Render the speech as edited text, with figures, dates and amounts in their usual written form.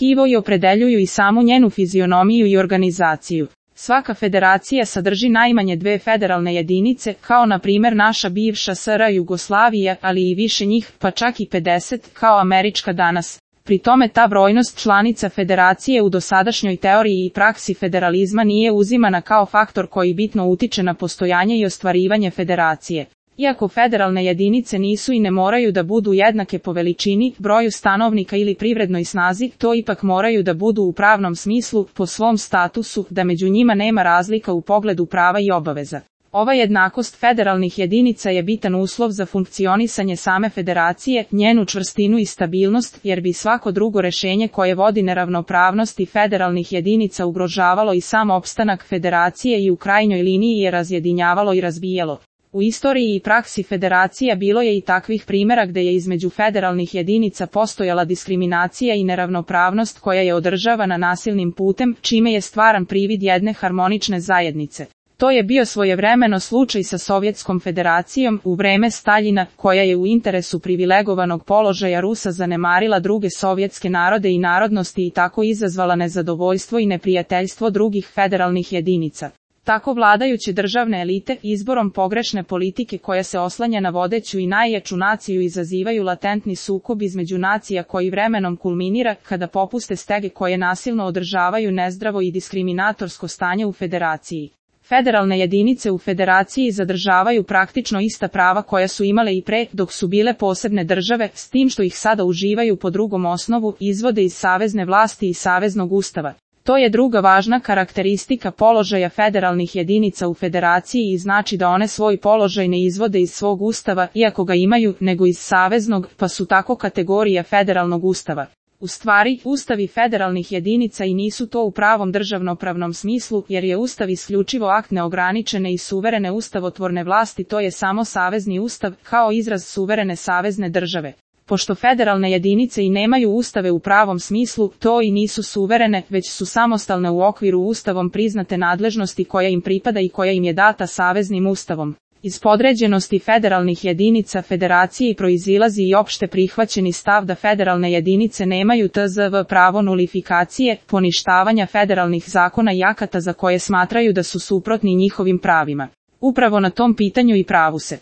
tkivo i opredeljuju i samu njenu fizionomiju i organizaciju. Svaka federacija sadrži najmanje 2 federalne jedinice, kao na primjer naša bivša SR Jugoslavija, ali i više njih, pa čak i 50, kao američka danas. Pri tome ta brojnost članica federacije u dosadašnjoj teoriji i praksi federalizma nije uzimana kao faktor koji bitno utiče na postojanje i ostvarivanje federacije. Iako federalne jedinice nisu i ne moraju da budu jednake po veličini, broju stanovnika ili privrednoj snazi, to ipak moraju da budu u pravnom smislu, po svom statusu, da među njima nema razlika u pogledu prava i obaveza. Ova jednakost federalnih jedinica je bitan uslov za funkcionisanje same federacije, njenu čvrstinu i stabilnost, jer bi svako drugo rešenje koje vodi neravnopravnosti federalnih jedinica ugrožavalo i sam opstanak federacije i u krajnjoj liniji je razjedinjavalo i razbijalo. U istoriji i praksi federacija bilo je i takvih primjera gde je između federalnih jedinica postojala diskriminacija i neravnopravnost koja je održavana nasilnim putem, čime je stvaran privid jedne harmonične zajednice. To je bio svojevremeno slučaj sa Sovjetskom federacijom u vreme Staljina, koja je u interesu privilegovanog položaja Rusa zanemarila druge sovjetske narode i narodnosti i tako izazvala nezadovoljstvo i neprijateljstvo drugih federalnih jedinica. Tako vladajuće državne elite, izborom pogrešne politike koja se oslanja na vodeću i najjaču naciju izazivaju latentni sukob između nacija koji vremenom kulminira kada popuste stege koje nasilno održavaju nezdravo i diskriminatorsko stanje u federaciji. Federalne jedinice u federaciji zadržavaju praktično ista prava koja su imale i pre, dok su bile posebne države, s tim što ih sada uživaju po drugom osnovu, izvode iz savezne vlasti i saveznog ustava. To je druga važna karakteristika položaja federalnih jedinica u federaciji i znači da one svoj položaj ne izvode iz svog ustava, iako ga imaju, nego iz saveznog, pa su tako kategorija federalnog ustava. U stvari, ustavi federalnih jedinica i nisu to u pravom državnopravnom smislu, jer je ustav isključivo akt neograničene i suverene ustavotvorne vlasti, to je samo savezni ustav, kao izraz suverene savezne države. Pošto federalne jedinice i nemaju ustave u pravom smislu, to i nisu suverene, već su samostalne u okviru ustavom priznate nadležnosti koja im pripada i koja im je data saveznim ustavom. Iz podređenosti federalnih jedinica federaciji proizilazi i opšte prihvaćeni stav da federalne jedinice nemaju tzv. Pravo nulifikacije, poništavanja federalnih zakona i akata za koje smatraju da su suprotni njihovim pravima. Upravo na tom pitanju i pravu se